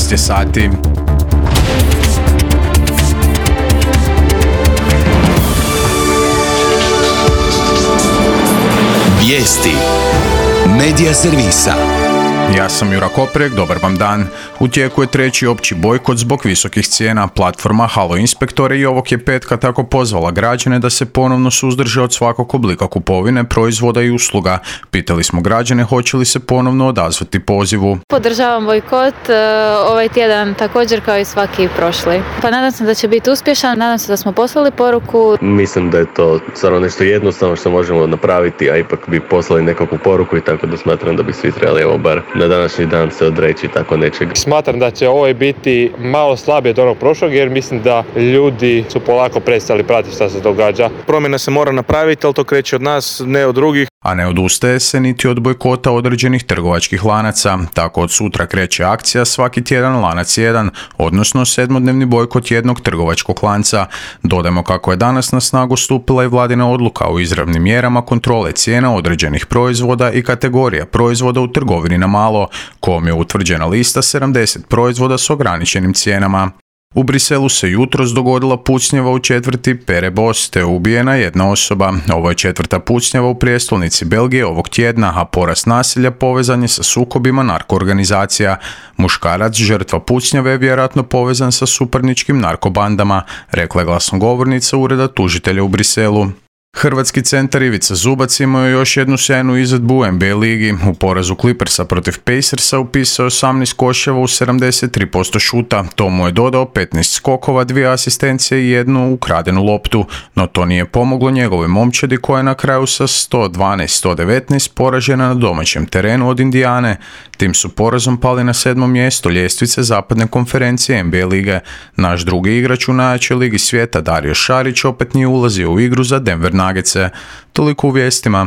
13 je sati. Vijesti Medija servisa. Ja sam Jura Koprek, dobar vam dan. U tijeku je treći opći bojkot zbog visokih cijena. Platforma Halo Inspektore i ovog je petka tako pozvala građane da se ponovno suzdrže od svakog oblika kupovine, proizvoda i usluga. Pitali smo građane hoće li se ponovno odazvati pozivu. Podržavam bojkot ovaj tjedan također kao i svaki prošli. Pa nadam se da će biti uspješan, nadam se da smo poslali poruku. Mislim da je to stvarno nešto jednostavno što možemo napraviti, a ipak bi poslali nekakvu poruku i tako da smatram da bi svi trebali evo bar na današnji dan se odreći tako nečeg. Smatram da će ovo biti malo slabije od onog prošlog jer mislim da ljudi su polako prestali pratiti šta se događa. Promjena se mora napraviti, ali to kreće od nas, ne od drugih. A ne odustaje se niti od bojkota određenih trgovačkih lanaca. Tako od sutra kreće akcija Svaki tjedan lanac jedan, odnosno 7-dnevni bojkot jednog trgovačkog lanca. Dodajmo kako je danas na snagu stupila i vladina odluka o izravnim mjerama kontrole cijena određenih proizvoda i kategorija proizvoda u trgovini na malo, kojom je utvrđena lista 70 proizvoda s ograničenim cijenama. U Briselu se jutros dogodila pucnjava u četvrti Perebos, te ubijena jedna osoba. Ovo je četvrta pucnjava u prijestolnici Belgije ovog tjedna, a porast nasilja povezan je sa sukobima narkoorganizacija. Muškarac, žrtva pucnjave, je vjerojatno povezan sa suparničkim narkobandama, rekla je glasnogovornica Ureda tužitelja u Briselu. Hrvatski centar Ivica Zubac imao je još jednu sjajnu izvedbu u NBA ligi. U porazu Clippersa protiv Pacersa upisao je 18 koševa u 73% šuta. To mu je dodao 15 skokova, 2 asistencije i jednu ukradenu loptu. No to nije pomoglo njegovoj momčadi koja je na kraju sa 112-119 poražena na domaćem terenu od Indijane. Tim su porazom pali na 7. mjesto ljestvice zapadne konferencije NBA lige. Naš drugi igrač u najjačoj ligi svijeta Dario Šarić opet nije ulazio u igru za Denver Nuggetse. Toliko u vijestima.